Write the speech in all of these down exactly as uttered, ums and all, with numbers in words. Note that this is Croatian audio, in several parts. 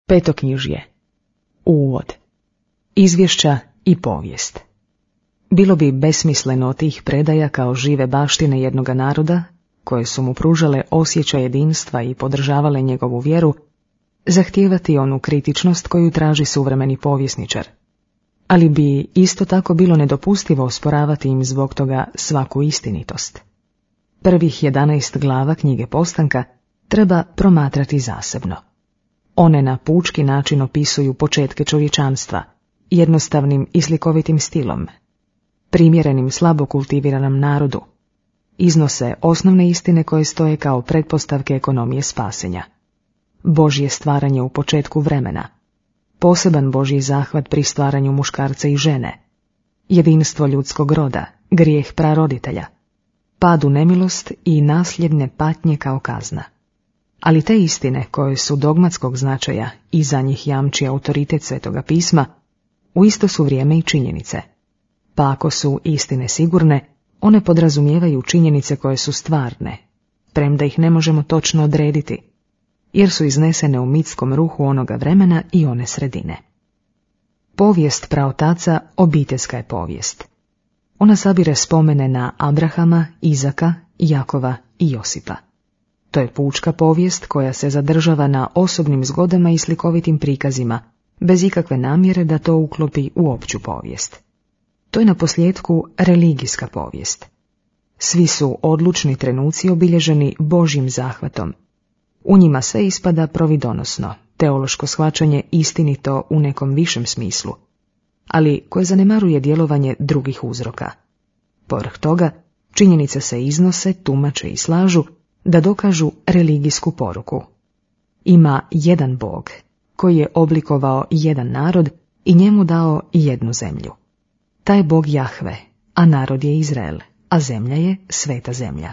Petoknjižje. Uvod. Izvješća i povijest. Bilo bi besmisleno od tih predaja kao žive baštine jednoga naroda, koje su mu pružale osjećaj jedinstva i podržavale njegovu vjeru, zahtijevati onu kritičnost koju traži suvremeni povjesničar. Ali bi isto tako bilo nedopustivo osporavati im zbog toga svaku istinitost. Prvih jedanaest glava knjige Postanka treba promatrati zasebno. One na pučki način opisuju početke čovječanstva, jednostavnim i slikovitim stilom, primjerenim slabo kultiviranom narodu. Iznose osnovne istine koje stoje kao pretpostavke ekonomije spasenja. Božje stvaranje u početku vremena, poseban Božji zahvat pri stvaranju muškarca i žene, jedinstvo ljudskog roda, grijeh praroditelja, pad u nemilost i nasljedne patnje kao kazna. Ali te istine koje su dogmatskog značaja i za njih jamči autoritet Svetoga pisma, u isto su vrijeme i činjenice. Pa ako su istine sigurne, one podrazumijevaju činjenice koje su stvarne, premda ih ne možemo točno odrediti, jer su iznesene u mitskom ruhu onoga vremena i one sredine. Povijest praotaca obiteljska je povijest. Ona sabire spomene na Abrahama, Izaka, Jakova i Josipa. To je pučka povijest koja se zadržava na osobnim zgodama i slikovitim prikazima, bez ikakve namjere da to uklopi u opću povijest. To je na posljedku religijska povijest. Svi su odlučni trenuci obilježeni Božjim zahvatom. U njima sve ispada providonosno, teološko shvaćanje istinito u nekom višem smislu, ali koje zanemaruje djelovanje drugih uzroka. Povrh toga, činjenice se iznose, tumače i slažu da dokažu religijsku poruku. Ima jedan Bog, koji je oblikovao jedan narod i njemu dao jednu zemlju. Taj Bog Jahve, a narod je Izrael, a zemlja je sveta zemlja.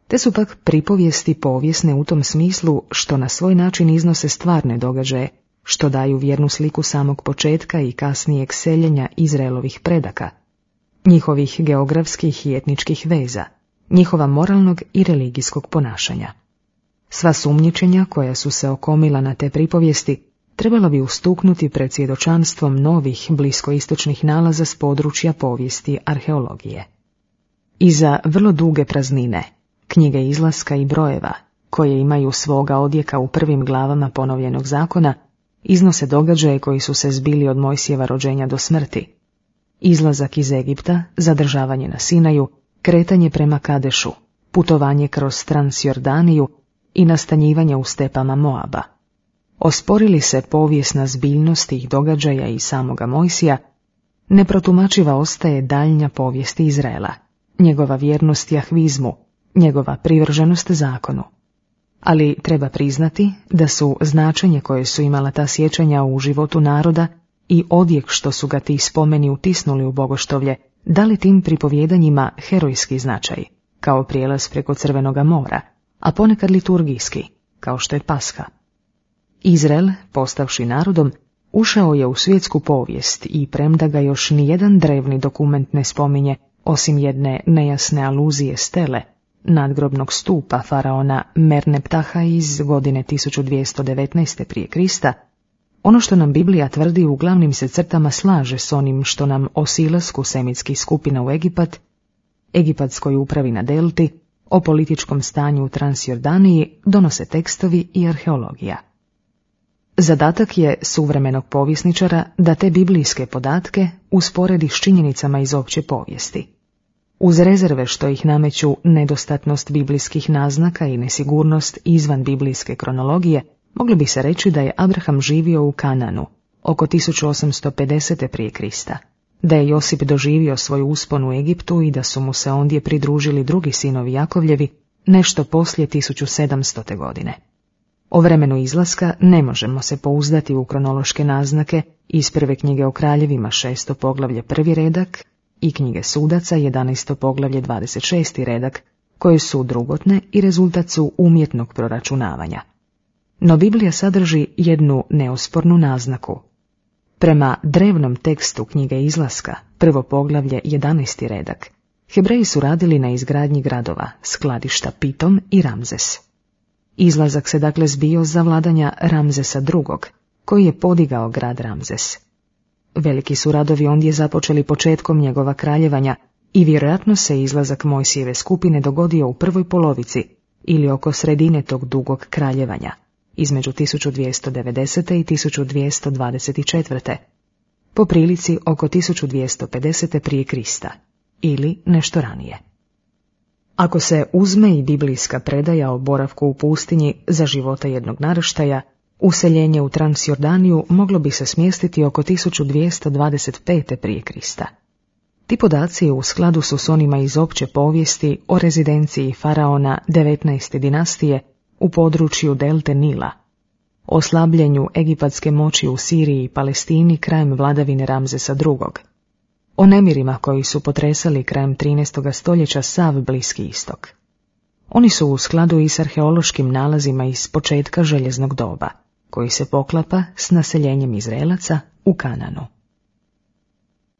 Te su pak pripovijesti povijesne u tom smislu što na svoj način iznose stvarne događaje, što daju vjernu sliku samog početka i kasnijeg seljenja Izraelovih predaka, njihovih geografskih i etničkih veza, njihova moralnog i religijskog ponašanja. Sva sumnjičenja koja su se okomila na te pripovijesti trebalo bi ustuknuti pred svjedočanstvom novih bliskoistočnih nalaza s područja povijesti arheologije. Iza vrlo duge praznine, knjige Izlaska i Brojeva, koje imaju svoga odjeka u prvim glavama ponovljenog zakona, iznose događaje koji su se zbili od Mojsijeva rođenja do smrti. Izlazak iz Egipta, zadržavanje na Sinaju, kretanje prema Kadešu, putovanje kroz Transjordaniju i nastanjivanje u stepama Moaba. Osporili se povijesna zbiljnost tih događaja i samoga Mojsija, neprotumačiva ostaje daljnja povijest Izraela, njegova vjernost jahvizmu, njegova privrženost zakonu. Ali treba priznati da su značenje koje su imala ta sjećanja u životu naroda i odjek što su ga ti spomeni utisnuli u bogoštovlje, dali tim pripovjedanjima herojski značaj, kao prijelaz preko Crvenoga mora, a ponekad liturgijski, kao što je Pasha. Izrael, postavši narodom, ušao je u svjetsku povijest i premda ga još nijedan drevni dokument ne spominje, osim jedne nejasne aluzije stele, nadgrobnog stupa faraona Merneptaha iz godine tisuću dvjesto devetnaeste prije Krista, ono što nam Biblija tvrdi u glavnim se crtama slaže s onim što nam o silasku semitskih skupina u Egipat, egipatskoj upravi na delti, o političkom stanju u Transjordaniji donose tekstovi i arheologija. Zadatak je suvremenog povjesničara da te biblijske podatke usporedi s činjenicama iz opće povijesti. Uz rezerve što ih nameću nedostatnost biblijskih naznaka i nesigurnost izvan biblijske kronologije, moglo bi se reći da je Abraham živio u Kananu oko tisuću osamsto pedeset prije Krista, da je Josip doživio svoj uspon u Egiptu i da su mu se ondje pridružili drugi sinovi Jakovljevi nešto poslije tisuću sedamstote godine. O vremenu izlaska ne možemo se pouzdati u kronološke naznake iz prve knjige o kraljevima šesto poglavlje prvi redak i knjige sudaca jedanaesto poglavlje dvadeset šesti redak, koje su drugotne i rezultat su umjetnog proračunavanja. No Biblija sadrži jednu neospornu naznaku. Prema drevnom tekstu knjige Izlaska, prvo poglavlje jedanaesti redak, Hebreji su radili na izgradnji gradova, skladišta Pitom i Ramzes. Izlazak se dakle zbio za vladanja Ramzesa drugog, koji je podigao grad Ramzes. Veliki su radovi ondje započeli početkom njegova kraljevanja i vjerojatno se izlazak Mojsijeve skupine dogodio u prvoj polovici ili oko sredine tog dugog kraljevanja, između tisuću dvjesto devedeset. i tisuću dvjesto dvadeset četvrte. po prilici oko tisuću dvjesto pedeset. prije Krista, ili nešto ranije. Ako se uzme i biblijska predaja o boravku u pustinji za života jednog naraštaja, useljenje u Transjordaniju moglo bi se smjestiti oko tisuću dvjesto dvadeset pete. prije Krista. Ti podaci u skladu su s onima iz opće povijesti o rezidenciji faraona devetnaeste dinastije u području delte Nila, o slabljenju egipatske moći u Siriji i Palestini krajem vladavine Ramzesa drugog, o nemirima koji su potresali krajem trinaestog stoljeća sav Bliski istok. Oni su u skladu i s arheološkim nalazima iz početka željeznog doba, koji se poklapa s naseljenjem Izraelaca u Kananu.